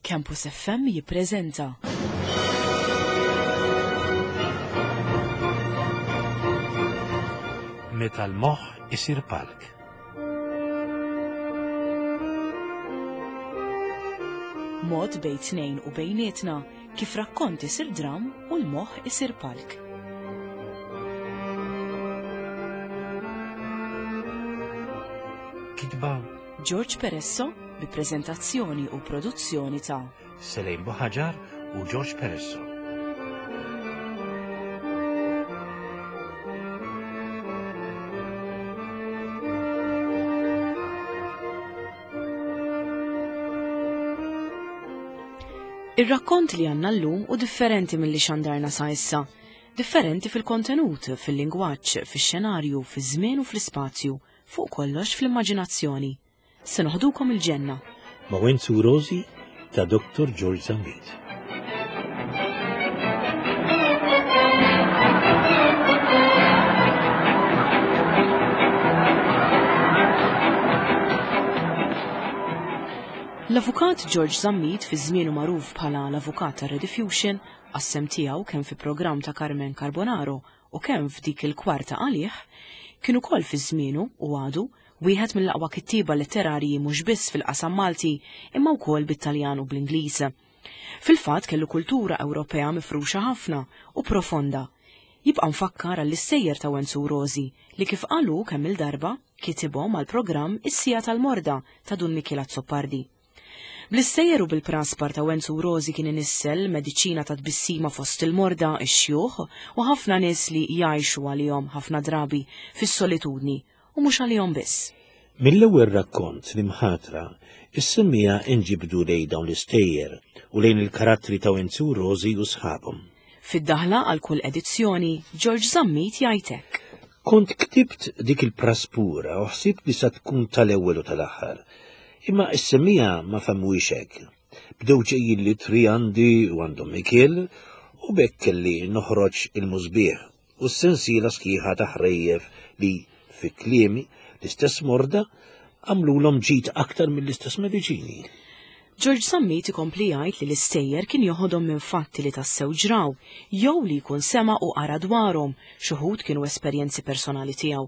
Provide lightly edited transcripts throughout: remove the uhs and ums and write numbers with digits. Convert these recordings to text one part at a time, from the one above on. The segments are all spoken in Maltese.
Campus FM jippreżenta. Meta l-moħħ isir palk. Mod bejn tnejn u bejnietna kif rakkont isir dram u l-moħħ isir palk. Kitba George Peresso bi preżentazzjoni u produzzjoni ta' Selejn Buħaġar u George Peresso. Ir-rakkont li għandna llum u differenti milli xandarna sa issa. Differenti fil-kontenut, fil-lingwaġġ, fix-xenarju, fiż-żmien u fl-ispazju, fuq kollox fl-immaġinazzjoni. Se noħdukom il-ġenna. Ma' Wenzu Rosi ta' Dr. George Zammit. L-Avukat George Zammit fi żmienu magħruf bħala l-Avukat ta' Rediffusion għas-sehem tiegħu kemm fi programm ta' Carmen Carbonaro u kemm f'dik il-kwarta għalih, kien ukoll fi żmienu u għadu wieħed mill-aqwa kittieba letterarji mhux biss fil-qasam Malti imma wkoll bit-Taljan u bl-Ingliż. Fil-fatt kellu kultura Ewropea mifruxa ħafna u profonda. Jibqa' mfakkar għall-istejjer ta' Wenzu Rosi li kif qal hu kemm-il darba kitibhom għall-programm Is-Siegħa tal-Morda ta' Dun Mikiel Azzopardi. Bl-istejjer u bil-praspar ta' Wenzu Rosi kien inissel mediċina ta' tbissima fost il-morda, ix-xjuħ u ħafna nies li jgħixu għalihom ħafna drabi fis-solitudni u mhux għalihom biss. Mill-ewwel rakkont l-imħatra, is-semmiegħa inġibdu lejn dawn l-istejjer u lejn il-karattri ta' Wenzu Rosi u sħabhom. Fid-daħla għal kull edizzjoni, George Zammit jgħid hekk. Kont ktibt dik il-praspura u ħsibt li sa tkun tal-ewwel u tal-aħħar. Imma s-semmiegħa ma fehmuhiex hekk. Bdew ġejjin l-ittri għandi u għandhom Mikiel u b'hekk kelli noħroġ il-musbieħ u s-sensiela sħiħa ta' ħrejjef li, fi kliemi, l-istess morda għamlulhom ġid aktar mill-istess mediċini. George Zammit ikompli jgħid li l-istejjer kien joħodhom minn fatti li tassew ġraw jew li jkun sema' u qara dwarhom, x'uħud kienu esperjenzi personali tiegħu.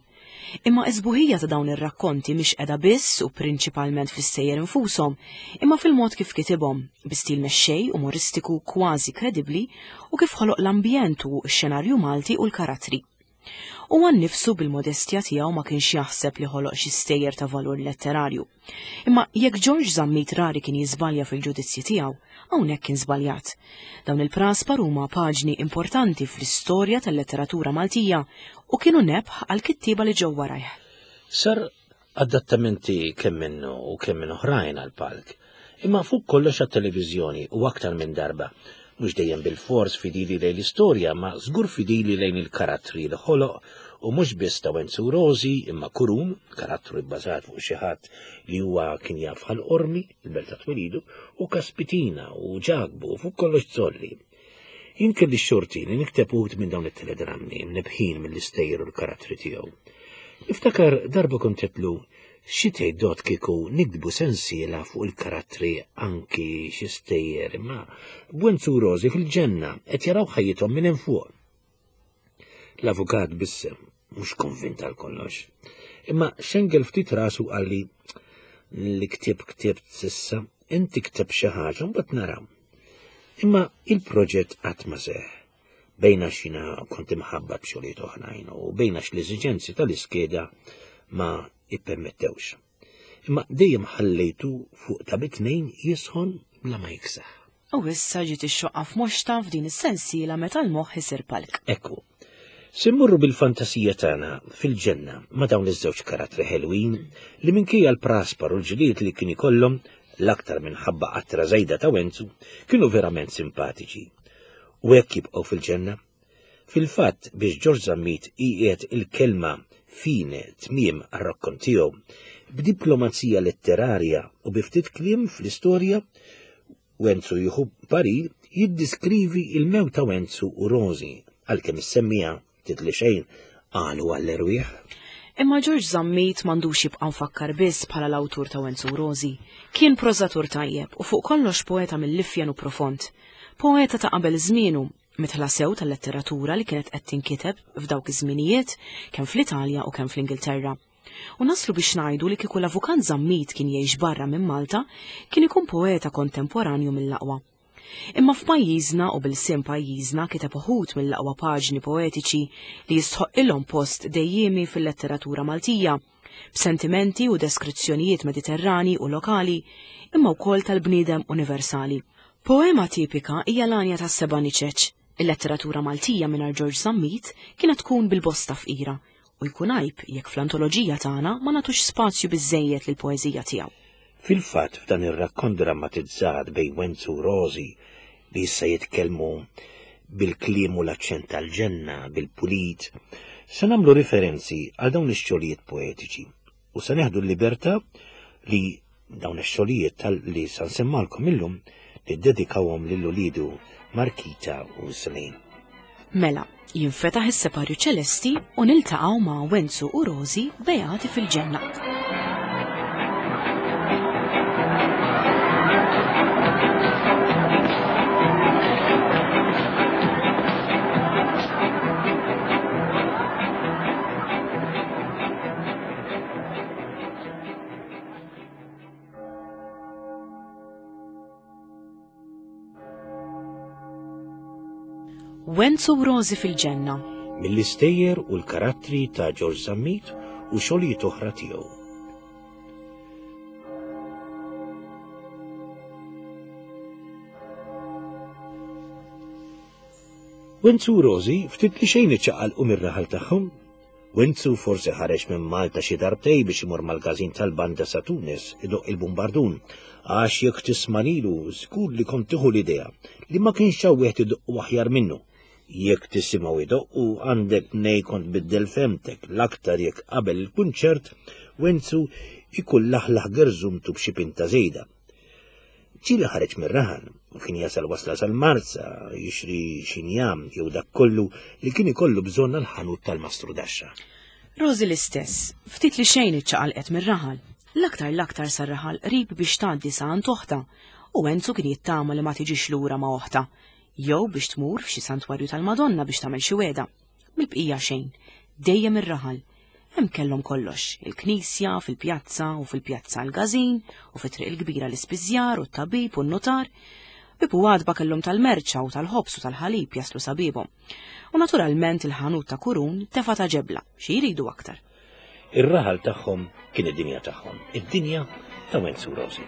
Imma s-sbuħija ta' dawn ir-rakkonti mhix qiegħda biss u prinċipalment fl-istejjer infushom, imma fil-mod kif kitibhom, bi stil mexxej, umoristiku, kważi kredibbli u kif ħoloq l-ambjent u x-xenarju Malti u l-karattri. Huwa nnifsu bil-modestja tiegħu ma kienx jaħseb li ħoloq xi stejjer ta' valur letterarju. Imma jekk George Zammit rari kien jiżbalja fil-ġudizzji tiegħu, hawnhekk kien żbaljat. Dawn il-praspar huma paġni importanti fl-istorja tal-letteratura Maltija u kienu nebħ għall-kittieba li ġew warajh. Sar adattamenti kemm minnu u kemm minn oħrajn għall-palk, imma fuq kollox għat-televiżjoni u aktar minn darba, mhux dejjem bilfors fidili lejn l-istorja ma żgur fidili lejn il-karattri li ħoloq u mhux biss ta' Wenzu Rosi imma Kurun, karattru bbażat fuq xi ħadd li huwa kien jaf Ħal Qormi, il-belt ta' twelidu, u Kaspitina u Ġakbu u fuq kollox Zolli. Jien kelli x-xorti li nikteb uħud minn dawn it-teledrammi mnebbħin mill-istejjer u l-karattri tiegħu. Niftakar darba kont għedtlu xi tgħid Dott kieku niktbu sensiela fuq il-karattri anki xi stejjer imma b'Wenzu u Rożi fil-ġenna qed jaraw ħajjithom minn hemm fuq. L-avukat bissem, mhux konvint għal kollox. Imma xengel ftit rasu qalli li ktieb ktibt s'issa, inti kteb xi ħaġa mbagħad naraw. Imma il-proġett qatt ma seħ. Bejn għax jiena kont imħabbat b'xogħlijiet oħrajn u bejn għax l-eżiġenzi tal-iskeda ma ippermettewx. Imma dejjem ħallejtu fuq ta' bitnejn jisħon bla ma jiksaħ. U issa ġiet ix-xoqqa f'moxta f'din is-sensiela meta l-moħħ isir palk. Ekku. Se mmorru bil-fantasija tagħna fil-ġenna ma' dawn iż-żewġ karattri ħelwin li minkejja l-praspar u l-ġlied li kien ikollhom, l-aktar minħabba qatra żejda ta' Wenzu, kienu verament simpatiċi. U hekk jibqgħu fil-ġenna. Fil-fatt biex Ġorġ Zammit iqiegħed il-kelma fine tmiem għar-rakkont tiegħu, b'diplomazija letterarja u bi ftit kliem fl-istorja, Wenzu jieħu parir jiddiskrivi il-mewt ta' Wenzu u Rożi, għalkemm is-semmiegħa ftit li xejn qalu għall-erwieħ. Imma Ġorġ Zammit m'għandux jibqa' mfakkar biss bħala l-awtur ta' Wenzu u Rożi. Kien prożatur tajjeb u fuq kollox poeta mill-ifjen u profond. Poeta ta' qabel żmienu, midħla sew tal-letteratura li kienet qed tinkiteb f'dawk iż-żminijiet kemm fl-Italja u kemm fl-Ingilterra. U naslu biex ngħidu li kieku l-Avukat Zammit kien jgħix barra minn Malta, kien ikun poeta kontemporanju mill-aqwa. Imma f'pajjiżna u b'ilsien pajjiżna kiteb uħud mill-aqwa paġni poetiċi li jistħoqqilhom post dejjiemi fil-letteratura Maltija, b'sentimenti u deskrizzjonijiet Mediterrani u lokali, imma wkoll tal-bniedem universali. Poema tipika hija l-Għanja tas-Seba' Niċeċ. Il-letteratura Maltija mingħajr Ġorġ Zammit kienet tkun bil-bosta fqira u jkun għajb jekk fl-antoloġija tagħna ma nagħtux spazju biżżejjed lill-poeżija tiegħu. Fil-fatt f'dan ir-rakkont drammatizzat bejn Wenzu u Rożi li issa jitkellmu bil-kliem u l-aċċent tal-ġenna, bil-pulit, se nagħmlu riferenzi għal dawn ix-xogħlijiet poetiċi u se neħdu l-libertà li dawn ix-xogħlijiet tal-li sa nsemmalkom illum niddedikawhom lil uliedu Markita u Celine. Mela, jinfetaħ is-separju ċelesti u niltaqgħu ma' Wenzu u Rożi beati fil-ġenna. Wenzu u Rożi fil-ġenna. Mill-istejjer u l-karattri ta' Ġorġ Zammit u xogħlijiet oħra tiegħu. Wenzu u Rożi ftit li xejn iċċaqalqu mir-raħal tagħhom. Wenzu forsi ħareġ minn Malta xi darbtej biex imur mal-każin tal-banda sa Tunis idoqq il-bumbardun, għax jekk tisma' lilu żgur li kont tieħu l-idea li ma kienx hawn wieħed idoqqu aħjar minnu. Jekk tisimgħu idoqqu għandek mnejn kont tbiddel fehmtek, l-aktar jekk qabel il-kunċert Wenzu jkun laħlaħ gerżumtu b'xi pinta żejda. Ġieli ħareġ mir-raħal u kien jasal wasla sal-Marsa jixri xi njam jew dak kollu li kien ikollu bżonn għall-ħanut tal-Mastru Daxxa. Rożi l-istess, ftit li xejn iċċaqalqet mir-raħal. L-aktar l-aktar sar-raħal qrib biex tgħaddi sa għand oħtha u Enzu kien jittama li ma tiġix lura ma' oħtha, jew biex tmur f'xi santwarju tal-Madonna biex tagħmel xi wegħda. Mill-bqija xejn, dejjem ir-raħal. Hemm kellhom kollox, il-knisja, fil-pjazza u fil-pjazza l-gażin, u fit-triq il-kbira l-ispiżjar u t-tabib u n-nutar. Bieb u għatba kellhom tal-merċa u tal-ħobż u tal-ħalib jaslu sa biebhom. U naturalment il-ħanut ta' Kurun tefa' ta' ġebla, xi jridu aktar. Ir-raħal tagħhom kien id-dinja tagħhom, id-dinja ta' Wenzu Rosi.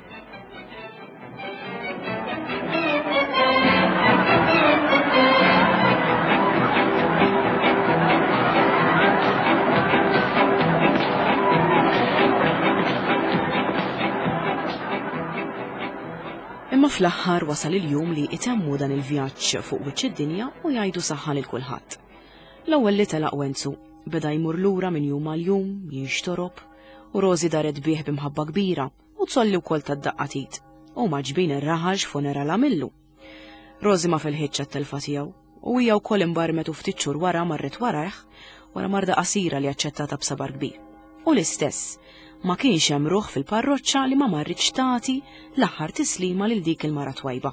Imma fl-aħħar wasal il-jum li itemmu dan il-vjaġġ fuq wiċċ id-dinja u jgħidu saħħa lil kulħadd. L-ewwel li telaq Wenzu beda jmur lura minn jum għal jum, jinxtorob, u Rożi daret bih b'imħabba kbira u tsolli wkoll tad-daqqa t'id. U maġbin ir-raħal x'funeral għamillu. Rożi ma felħitx għat-telfa tiegħu u hija wkoll imbarmet u ftit xhur wara marret warajh wara marda qasira li aċċettata b'sabar kbir. U l-istess, ma kienx hemm ruħ fil-parroċċa li ma marritx tagħti l-aħħar tislima lil dik il-mara twajba.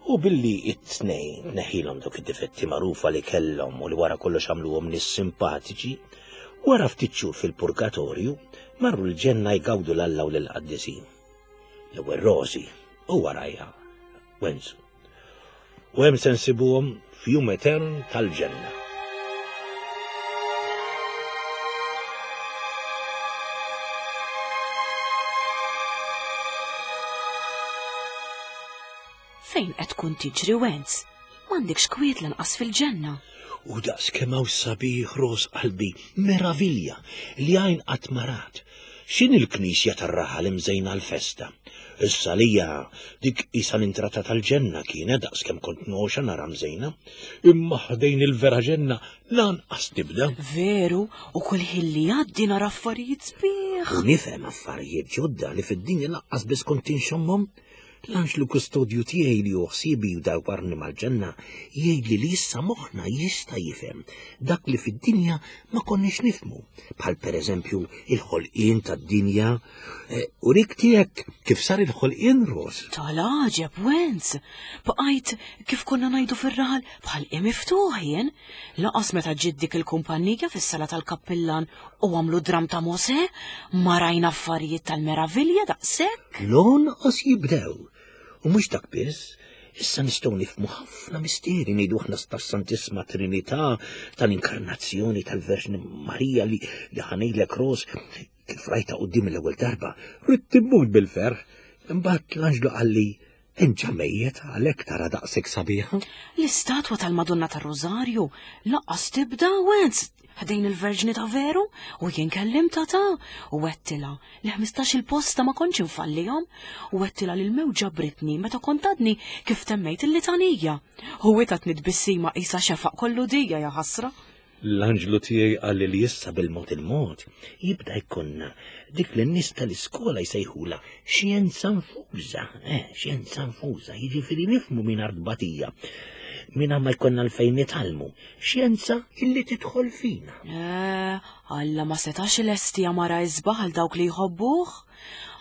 U billi it-tnejn tneħħilhom dawk id-difetti magħrufa li kellhom u li wara kollox għamluhom nies simpatiċi, wara ftit xhur fil-purgatorju marru l-ġenna jgawdu 'l Alla u lill-qaddisin. L-ewwel Rożi u warajha Wenzu. U hemm se nsibuhom f'jum etern tal-ġenna. Fejn qed tkun tiġri Wenz? M'għandekx kwiet lanqas fil-ġenna. U daqs kemm hawn sabiħ ros qalbi, meravilja li għajn qatt ma rat. X'inhi l-knisja tar-raħal imżejna għall-festa? Issa għalija dik qisha l-intrata tal-ġenna kienet daqs kemm kont nogħxa nara mżejna. Imma ħdejn il-vera ġenna lanqas tibda. Veru, u kull ħin li jgħaddi nara affarijiet sbieħ. U nifhem affarijiet ġodda li fid-dinja lanqas biss kont inxommhom. L-anġlu kustodju tiegħi li hu ħsiebi u dawwarni mal-ġenna jgħidli li issa moħħna jista' jifhem dak li fid-dinja ma konniex nifhmu, bħal pereżempju il-ħolqien tad-dinja eh, u rik tiegħek kif sar il-ħolqien Ros. Tal-għaġeb, Wenz! Bqajt kif konna ngħidu fir-raħal bħal miftuħ jien. Laqas meta ġiet dik il-kumpanija fis-sala tal-kappillan u għamlu dram ta' Mosè, ma rajna affarijiet tal-meravilja daqshekk. L-onqos jibdew. U mhux dak biss, issa nistgħu nifhmu ħafna misteri ngħidu aħna tas-Santissima Trinità, tal-Inkarnazzjoni tal-Verġni Marija li li ħanejlek Ros kif rajta quddiem l-ewwel darba, ridt immut bil-ferħ. Imbagħad l-anġlu qalli Inġa mejjet għalhekk tara daqshekk sabiħa. L-istatwa tal-Madonna tar-Rożarju laqqas tibda Wenz ħdejn il-Verġni ta' veru u jien kellimtha ta' u għedtilha li 15 il-posta ma kontx infallihom u għedtilha li l-mewġa ġabritni meta kont għadni kif temmejt il-litanija. U hi tatni tbissima qisha xefaq kollu dija ja ħasra. L-anġlu tiegħi qalli li issa bil-mod il-mod jibda jkollna dik li n-nies tal-iskola jsejħulha xjenza nfuża, eh, xjenza nfuża, jiġifieri nifhmu mingħajr tbatija, mingħajr ma jkollna għalfejn nitgħallmu, xjenza illi tidħol fina. Eh, Alla ma setax ilesti għamara isbaħ għal dawk li jħobbuh?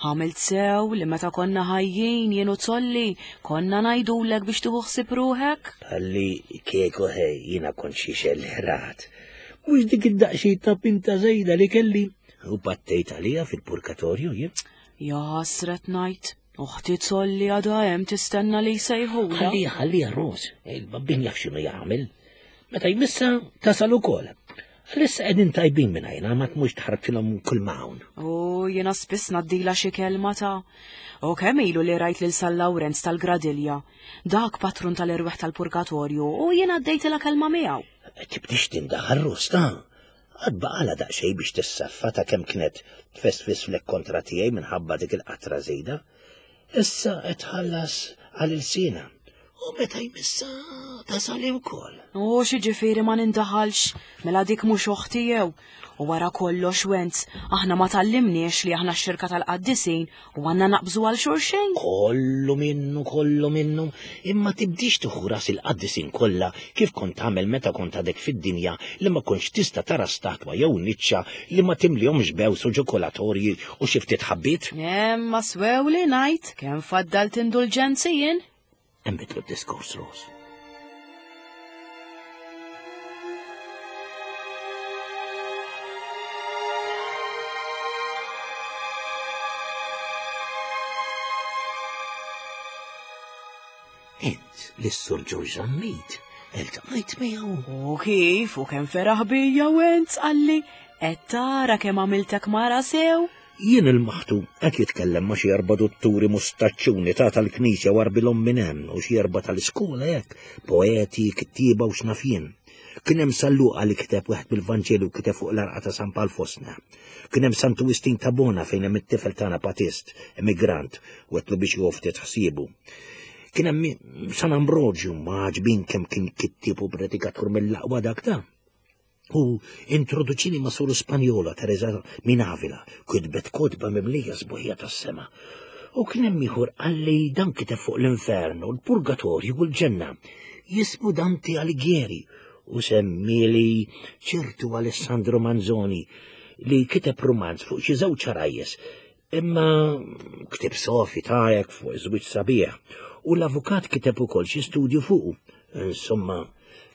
Għamilt sew li meta konna ħajjin jien u Zolli konna ngħidulek biex tieħu ħsieb ruħek? Palli kieku ħej jiena kont xi xellerat. Mhux dik id-daqsxejn ta' pinta żejda li kelli u battejt għalija fil-purgatorju jien. Ja ħasret ngħid, uħti Zolli għadha hemm tistenna li jsejħulha. Ħallija ħallija Ros, il-babbin jaf x'inhu jagħmel. Meta jmissa tasal ukoll. Għalissa qegħdin tajbin minn għajna ma tmux tħarbtilhom kull ma hawn. U jiena spiss ngħaddilha xi kelma ta' U kemm ilu li rajt lil San Lawrenz tal-Gradilja, dak patrun tal-erwieħ tal-purgatorju, u jien għaddejtilha kelma miegħu. Tibdix tindaħal Rosta. Għad baqalha daqsxejn biex tissaffa ta' kemm kienet tfesfis flek kontra tiegħi minħabba dik il-qatra żejda. Issa qed tħallas għal ilsienha. U meta jmissa tasali wkoll. U xi ġifieri ma nindaħalx, mela dik mhux oħti jew. U wara kollox Wenz, aħna ma tgħallimniex li aħna x-xirka tal-qaddisin u għandna naqbżu għal xulxin. Kollu minnu, kollu minnu, imma tibdix tieħu ras il-qaddisin kollha kif kont tagħmel meta kont għadek fid-dinja li ma kontx tista' tara statwa jew niċċa li ma timlihomx bews u ġokolatorji u xi ftit ħabbiet. Imma swew li ngħid kemm faddalt indulġenzi jien. Nbidlu d-diskors Ros. Int lis-Sur George Zammit iltqajt miegħu. U kif u kemm feraħ bija Wenz qalli qed tara kemm għamiltek mara sew. Jien il-maħtu qed jitkellem ma' xi erba' dutturi mustaċċuni ta' tal-knisja warbilhom minn hemm u xi erba' tal-iskola hekk, poeti, kittieba u x'naf jien. Kien hemm San Luqa li kiteb wieħed mill-Vanġelu kiteb fuq l-għarqa ta' San Pawl fostna. Kien hemm Santu Wistin ta' Bona fejn hemm it-tifel tagħna patist, emigrant, u għedtlu biex jieħu ftit ħsiebu. Kien hemm San Ambroġju ma għaġbin kemm kien kittieb u predikatur mill-aqwa dak ta'. U introduċini ma' soru Spanjola Teresa minn Avila, kitbet kotba mimlija sbuħija tas-sema. U kien hemm ieħor qalli dan kiteb fuq l-infern u l-purgatorju u l-ġenna. Jismu Dante Alighieri u semmieli ċertu Alessandro Manzoni li kiteb rumanz fuq xi żewġ għarajjes Imma ktib sofi tajek fuq iż-żwieġ sabiħ u l-avukat kiteb ukoll xi studju fuqu. Insomma,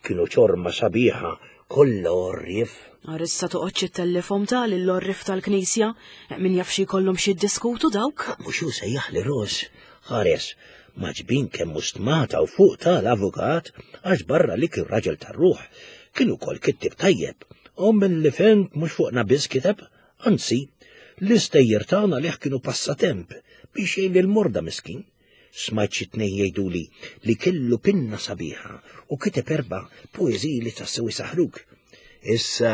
kienu ċorma sabiħa kollha għorrief. Ar issa toqgħodx ittellifhom ta' lill-għorrief tal-knisja, min jaf xi jkollhom xi jiddiskutu dawk. Mhux hu sejjaħli Ros, ħares, maġbin kemm hu stmata u fuq ta' l-avukat għax barra li kien raġel tar-ruħ, kien ukoll kittieb tajjeb. U milli fhimt mhux fuqna biss kiteb, Anzi, l-istejjer tagħna għalih kienu passatemp biex jgħin lill-morda miskin. Smajt xi tnejn jgħiduli li kellu pinna sabiħa u kiteb erba' poeżiji li tassew isaħħruk. Issa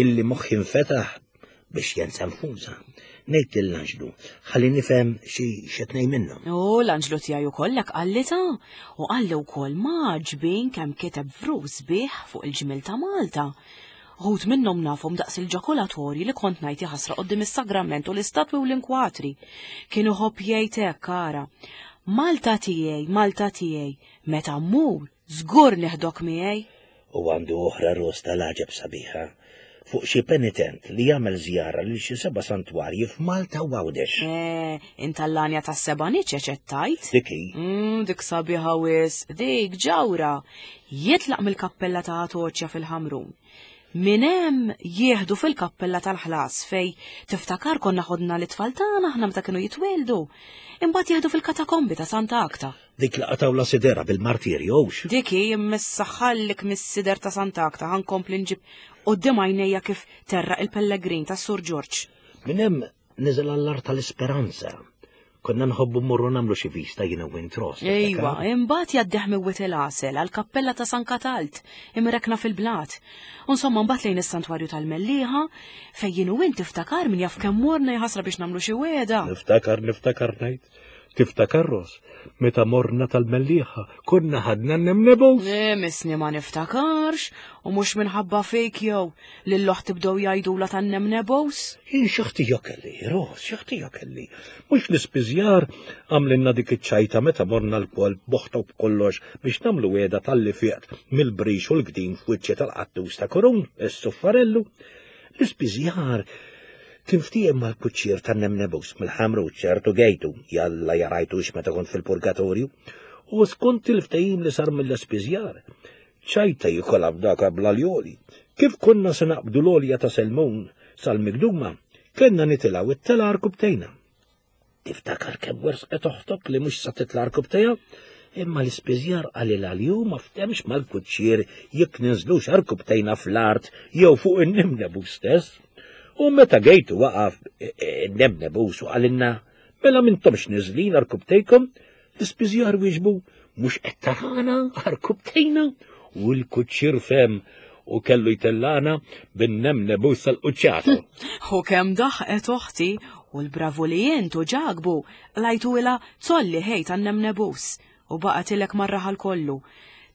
illi moħħi nfetaħ biex jensa nfuża, ngħid lill-anġlu ħalli nifhem xi xi tnejn minnhom. U l-anġlu tiegħi ukoll hekk qalli ta' u qalli wkoll m'għaġbin kemm kiteb vrus sbieħ fuq il-ġmiel ta' Malta. Uħud minnhom nafhom daqs il-ġakulatorji li kont ngħid jaħasra quddiem is-sagrament u l-istatwi u l-inkwatri. Kien iħobb jgħid hekk ara. Malta tiegħi, Malta tiegħi, meta mmur, żgur neħdok miegħi. U għandu oħra ros tal-għaġeb sabiħa fuq xi penitent li jagħmel żjara lil xi seba' santwarji f'Malta u Għawdex. Eh, intallanja tas-seba' niċeċ qed tgħid? Dik hi. Dik sabiħa wisq, dik ġawra. Jitlaq mill-kappella ta' Atoċja fil-Ħamrun. Minn hemm jieħdu fil-kappella tal-ħlas fej tiftakar konna ħodna l-itfal tagħna aħna meta kienu jitwieldu. Imbagħad jieħdu fil-katakombi ta' Santa Akta. Dik li qatgħu la sidera bil-martirju hux. Dik hi immissa ħallik mis-sider ta' Santa Akta ħankompli nġib quddiem għajnejja kif terraq il-pellegrin tas-Sur Ġorġ. Minn hemm niżel għall-art tal-Isperanza. Konna nħobbu mmorru nagħmlu xi vista jiena u int Ross. Ejwa, imbagħad jgħaddih minn Wied il-Għasel għall-kappella ta' San Katalt, imrekkna fil-blat. U insomma mbagħad lejn is-santwarju tal-Mellieħa, fejn jien u int tiftakar min jaf kemm morna jaħasra biex nagħmlu xi wegħda. Niftakar, niftakar ngħid. Tiftakar Ross, meta morna tal-Mellieħa, konna ħadna n-nemnebus? Misni ma niftakarx, u mhux minħabba fik jew li l-oħt tibdew jgħidula tan-nemnebus. Jien xi ħtija kelli, Ross, xi ħtija kelli. Mhux l-ispiżjar għamlilna dik iċ-ċajta meta morna lkoll b'oħta u b'kollox biex nagħmlu wegħda talli fiqt mill-brix u l-gdim f'wiċċi tal-qattus ta' Kurun, is-suffarellu. L-ispiżjar kien ftiehem mal-kuċċier tan-nemnebus mill-Ħamru ċertu gejtu, jalla jarajtux meta kont fil-purgatorju, u skont il-ftehim li sar mill-ispiżjar, ċajta jikolha b'daka bl-aljoli. Kif konna se naqbdu l-għolja ta' Selmun sal-Migduma, kellna nitilgħu it-tela arkubtejna. Tiftakar kemm wersqet oħtok li mhux sa titla' arkubtejha? Imma l-ispiżjar qalilha li hu ma ftemx mal-kuċċier jekk ninżlux arkubtejna fl-art jew fuq in-nimnebus stess. U meta gejtu waqaf in-nemnebus u qalilna, mela m'intomx niżlin arkubtejkom, l-ispiżjar wieġbu, mhux qed tarana arkubtejna? U l-kuċċier fehem u kellu jtellana bin-nemnebus sal-quċċata. U kemm daħqet oħti u l-bravu li int u ġagbu qlajtu ilha zolli ħej tan-nemnebus u baqgħetilek mar-raħal kollu.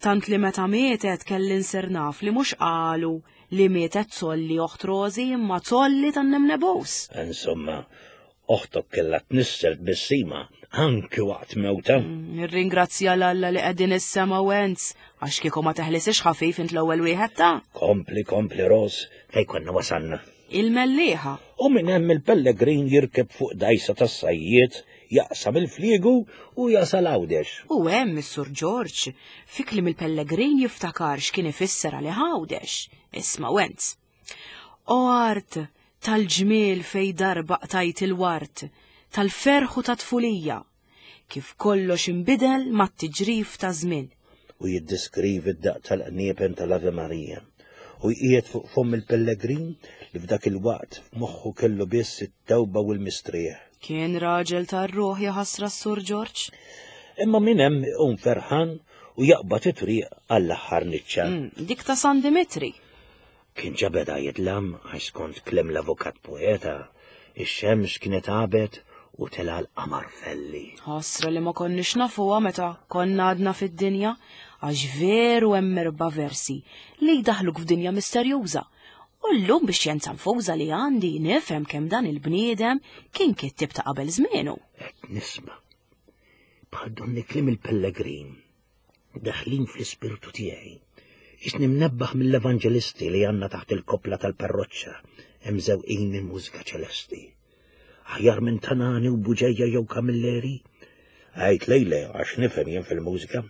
Tant li meta mietet kelli nsir naf li mhux qalu li mietet zolli oħt Rosi imma zolli tan-nemnebus. Insomma, oħtok kellha tnissel tbissima anki waqt mewta. Nirringrazzja l-Alla li qegħdin is-sema Wenz, għax kieku ma teħlisix ħafif int l-ewwel wieħed ta'. Kompli, kompli Ros, fejn konna wasalna. Il-Mellieħa. U minn hemm il-pellegrin jirkeb fuq dgħajsa tas-sajjied, jaqsam il-fliegu u jasal Għawdex. U hemm is-Sur Ġorġ, fi kliem il-pellegrin jiftakar x'kien ifisser għalih Għawdex. Isma' Wenz. O art tal-ġmiel fej darba qtajt il-wart, tal-ferħ u tat-tfulija, kif kollox inbidel mat-tiġrif ta' żmien. U jiddeskrivi d-daqq tal-qniepen tal-Ave Maria u jqiegħed fuq fomm il-pellegrin li f'dak il-waqt f'moħħu kellu biss it-tewba u l-mistrieħ. Kien raġel tar-ruħ jaħasra s-Sur Ġorġ. Imma minn hemm iqum ferħan u jaqbad it-triq għall-aħħar niċċa. Dik ta' San Dimitri. Kien ġa beda jidlam għax skont kliem l-avukat poeta, ix-xemx kienet għabet u tela' l-qamar felli. Ħasra li ma konniex nafuha meta konna għadna fid-dinja, għax veru hemm erba' versi li jdaħħluk f'dinja misterjuża. U llum bix-xjenza nfuża li għandi nifhem kemm dan il-bniedem kien kittieb ta' qabel żmienu. Qed nisma' bħal donni kliem il-pellegrin daħlin fl-ispirtu tiegħi. Isni mnebbaħ mill-evanġelisti li għandna taħt il-koppla tal-parroċċa hemm żewqin minn mużika ċelesti. Aħjar minn Tanani u Buġeja jew Camilleri? Għajt lejle għax nifhem jien fil-mużika.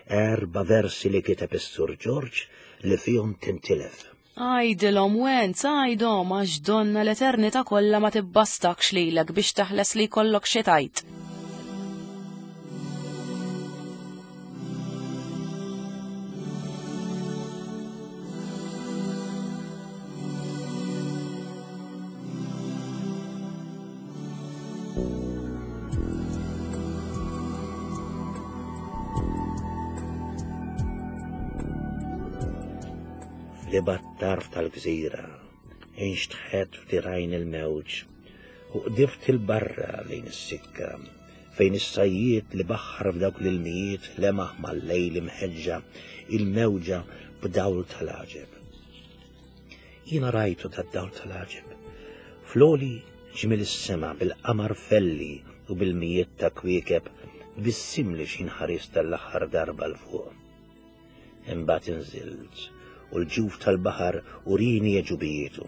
4 versi li kiteb is-Sur Ġorġ li fihom tintilef. Għajdilhom Wenz, għajdhom għax donna l-eternità kollha ma tibbastakx lilek biex teħles li jkollok xi tgħid. Li bat-tarf tal-gżira, inxtħet f'dirajn il-mewġ u qdift il-barra lejn is-sikka, fejn is-sajjied li baħħar f'dawk l-ilmijiet lemaħ mal-lejl imħeġġa il-mewġa b'dawl tal-għaġeb. Jiena rajtu tad-dawl tal-għaġeb. Floli ġmiel is-sema bil-qamar felli u bil-mijiet ta' kwiekeb Tbissimli x'ħin ħarist għall-aħħar darba 'l fuq. Imbagħad inżilt, u l-ġuf tal-baħar urini għeġubijietu.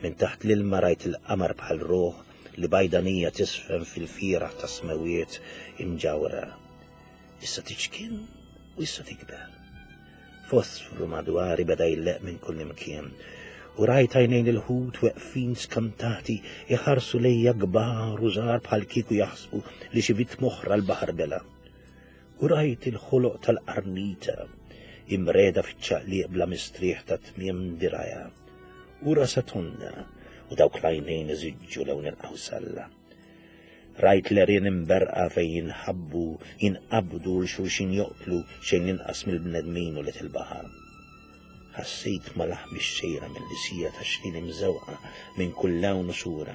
Minn taħt l-ilma rajt il-qamar bħal ruħ li bajdanija tisfen fil-fieragħ tas-smewwiet imġawra. Issa tiċkien u issa tikber. Fosfru madwari beda jleqq minn kullimkien, u rajt għajnejn il-ħut weqfin skantati iħarsu lejja kbar u żgħar bħal kieku jaħsbu li xi vittma oħra l-baħar bela'. U rajt il-ħoloq tal-qarnita imreda fiċ-ċaqliq bla mistrieħ ta' tmiem dirgħajha, u rasha tonda u dawk l-għajnejn iżiġġu lewn il-qawsalla. Rajt l-għerien imberrqa fejn jinħabbu, jinqabdu u 'l xulxin joqtlu xejn inqas mill-bnedmin ulied il-baħar. Ħassejt ma' laħmi x-xejra mill-lisija ta' xlili mżewqa minn kull lewn u sura,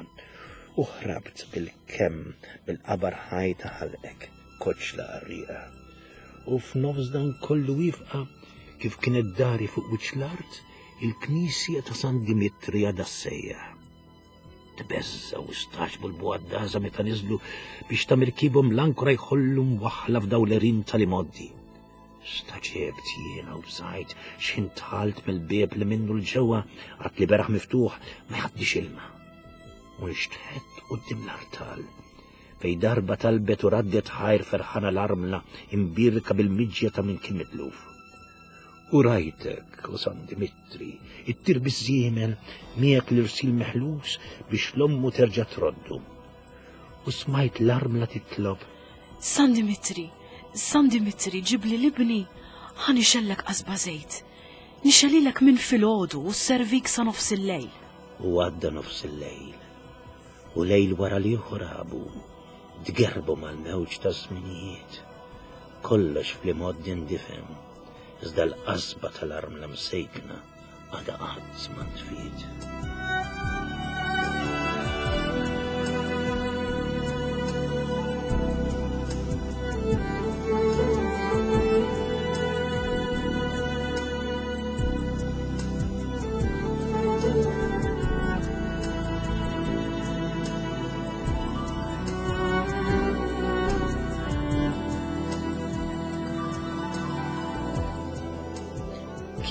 u ħrabt bil-kemm mill-qabar ħaj ta' ħalqek, koċċla qarrieqa. U f'nofs dan kollu wieqfa, kif kienet dari fuq wiċċ l-art, il-knisja ta' San Dimitri għadha ssejjaħ. Tbeżżgħu u stagħġbu l-bugħaddaża meta niżlu biex ta' mirkibhom l-ankora jħollu mwaħħla f'dawn l-għerien tal-imgħoddi. Stagħġibt jiena u bżajt x'ħin dħalt mill-bieb li minnu 'l ġewwa għad li beraħ miftuħ ma jgħaddix ilma. U nxtħett quddiem l-artal fejn darba talbet u raddet ħajr ferħana l-armla imbierka bil-miġja ta' min kien mitluf. U rajtek, o San Dimitri, ittir biż-żiemel miegħek l-irsil meħlus biex l-ommu terġa' troddu. U smajt l-armla titlob. San Dimitri, San Dimitri, ġibli l-ibni, ħa nixgħellek qasba żejt. Nixgħelilek minn filgħodu u sservik sa nofs il-lejl. U għadda nofs il-lejl, u lejl wara l-ieħor għabu, tgerrbu mal-mewġ taż-żminijiet. Kollox fl-imgħoddi ndifen, iżda l-qasba tal-armla msejkna għadha qatt ma ntfiet.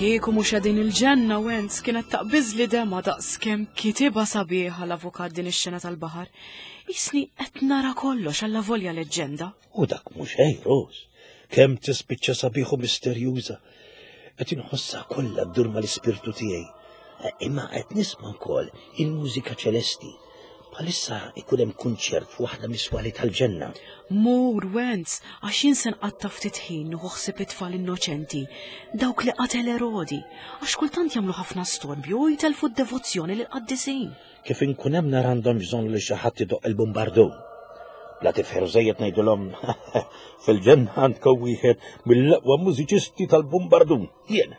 Kieku mhux qegħdin il-ġenna Wenz kienet taqbiżli dema daqs kemm kitibha sabiħa l-avukat din ix-xena tal-baħar. Isni qed nara kollox alla volja leġġenda. U dak mhux xejn, Rose. Kemm tispiċċa sabiħ u misterjuża. Qed inħossha kollha ddur mal-ispirtu tiegħi. Imma qed nisma' wkoll il-mużika ċelesti. Bħalissa ikun hemm kunċert f'waħda mis-swali tal-ġenna. Mur, Wenz, għax jien se nqatta' ftit ħin nieħu ħsieb it-tfal innoċenti, dawk li qatel Erodi, għax kultant jagħmlu ħafna storbju u jtellfu d-devozzjoni lill-qaddisin. Kif inkun hemm nara għandhom bżonn li xi ħadd idoqq il-bumbardun. Bla tifħir żejjed ngħidilhom fil-ġenna għandkom wieħed mill-aqwa mużiċisti tal-bumbardun. Jien,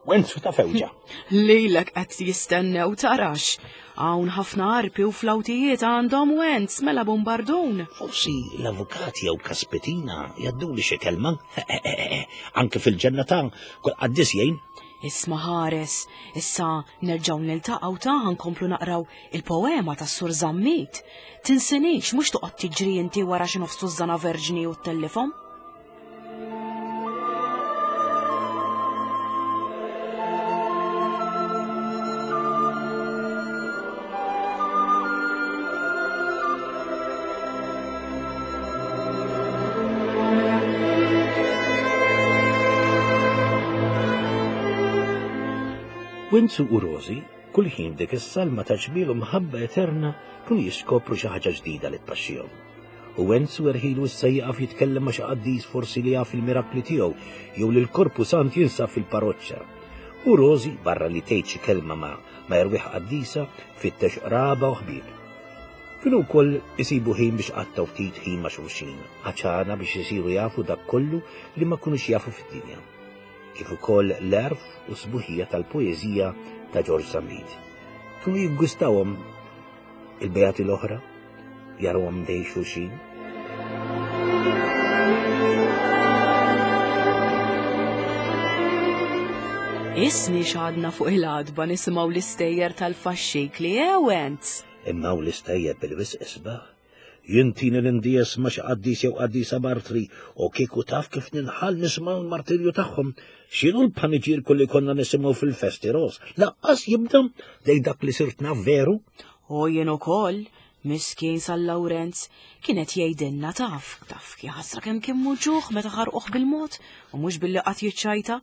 Wenzu ta' fewġa. Lilek qed jistennew tarax. Hawn ħafna arpi u flawtijiet għandhom Wenz mela bumbardun. Forsi l-avukat jew Kaspetina jadduli xi kelma. Anke fil-ġenna ta' kull qaddis jgħin. Isma' ħares, issa nerġgħu niltaqgħu ta' nkomplu naqraw il-poema tas-Sur Zammit. Tinsinix mhux toqgħod tiġri inti wara xi nofs tużżana verġni u ttellifhom. Winzu u Rosi, kull ħin dik is-salma ta' ġmiel u mħabba eterna kienu jiskopru xi ħaġa ġdida li tpaxxihom. U Wenzu erħilu issa jieqaf jitkellem ma' xi qaddis forsi li jaf il-mirakli tiegħu jew li l-Korpu Sant jinsab fil-parroċċa. U Rosi, barra li tgħid xi kelma ma' ma' erwieħ qaddisa, tfittex qraba u ħbieb. Kienu wkoll isibu ħin biex qattgħu ftit ħin ma' xulxin, għaċana biex isiru jafu dak kollu li ma kinux jafu fid-dinja. Kif ukoll l-għerf u s-sbuħija tal-poeżija ta' Ġorġ Zammit. Kienu jiggustawhom il-beati l-oħra, jarawhom dej xulxin. Isni xadna fuq il-għadba nisimgħu l-istejjer tal-faxxikli, eh, Wenz? Imma u l-istejjer bil-wisq isbaħ. Jintini l-indies ma xi qaddis jew qaddisa martri u kieku taf kif ninħall nisma' l-martirju tagħhom. X'inhu l-paniġierku li konna nisimgħu fil-festi Ros? Laqqas jibda lejn dak li sirt naf veru. U jien ukoll, miskin San Lawrenz, kien qed jgħidilna taf, taf ħasra kemm kien muġugħ meta ħarquh bil-mod u mhux billi qatt jiċċajta.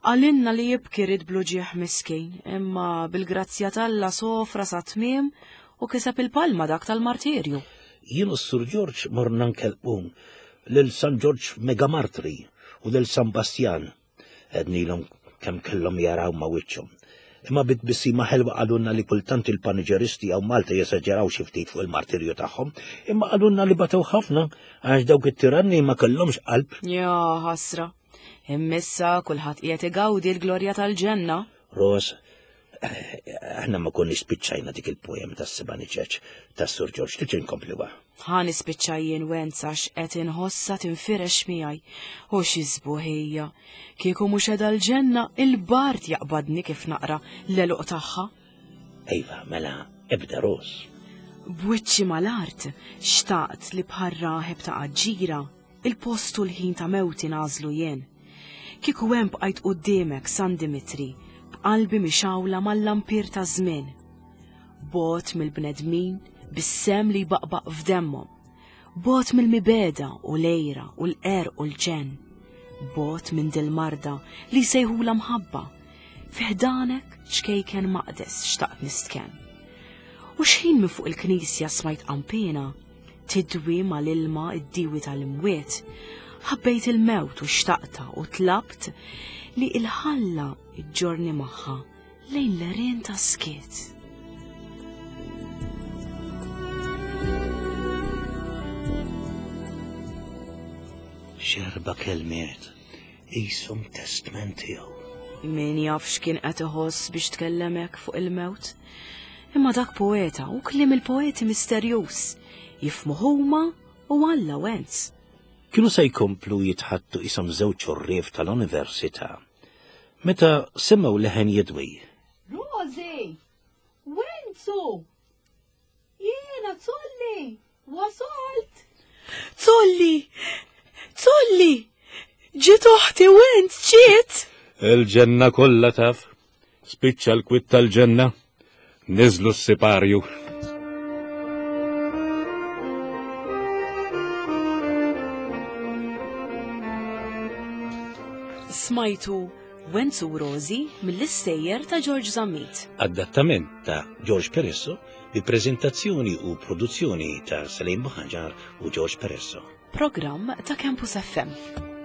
Qalilna li jibki ried bl-uġigħ miskin, imma bil-grazzja t'Alla sofra sat-tmiem u kiseb il-palma dak tal-martirju. Jien u s-Sur Ġorġ morna nkellmu lil San Ġorġ Megamartri u lil San Bastjan. Għednilhom kemm kellhom jaraw ma' wiċċhom. Imma bi tbissima ħelwa qalulna li kultant il-paniġeristi hawn Malta jesaġeraw xi ftit fuq il-martirju tagħhom, imma qalulna li batew ħafna għax dawk it-tiranni ma kellhomx qalb. Ja ħasra. Imma issa kulħadd qiegħed igawdi l-glorja tal-ġenna. Ros, aħna ma konniex spiċċajna dik il-poem tas-seba' niċeċ tas-Sur Ġorġ, trid inkompluha. Ħa nispiċċa jien Wenz għax qed inħossha tinfirex miegħi. U xi sbuħija. Kieku mhux qiegħda l-ġenna, il-bard jaqbadni kif naqra l-għeluq tagħha. Iva, mela, ebda Ros. B'wiċċi mal-art, xtaqt li bħal raħeb ta' Aġġira, Il-post u l-ħin ta' mewti nagħżlu jien. Kieku hemm bqajt quddiemek, San Dimitri, b'qalbi mixgħula mal-lampier taż-żmien. Bogħod mill-bnedmin bis-semm li jbaqbaq f'demmhom. Bogħod mill-mibegħda u l-għira u l-qerq u l-ġenn. Bogħod minn dil-marda li jsejħulha mħabba. Fi ħdanek ċkejken maqdes xtaqt nistkenn. U x'ħin minn fuq il-knisja smajt qanpiena, Tidwi mal-ilma d-diwi tal-imwiet. Ħabbejt il-mewt u xtaqtha u tlabt li il-ħalla ġġorni magħha lejn l-għerien tas-skiet. X'erba' kelmiet qishom testment tiegħu. Min jaf x'kien qed iħoss biex tkellem hekk fuq il-mewt. Imma dak poeta u kliem il-poeti misterjuż. Jifhmuh huma u Alla Wenz. Kienu se jkomplu jitħaddtu qishom żewġ għorrief tal-università meta semgħu leħen jidwi. Rosie! Wenzu! Jiena Zolli! Wasalt! Zolli! Zolli! Ġiet oħti u int ġiet! Il-ġenna kollha taf. Spiċċa l-kwit tal-ġenna. Niżlu s-siparju. Smajtu Wenzu Rosi mill-istejjer ta' George Zammit. Adattament ta' George Peresso bi preżentazzjoni u produzzjoni ta' Salim Buħanġar u George Peresso. Programm ta' Campus FM.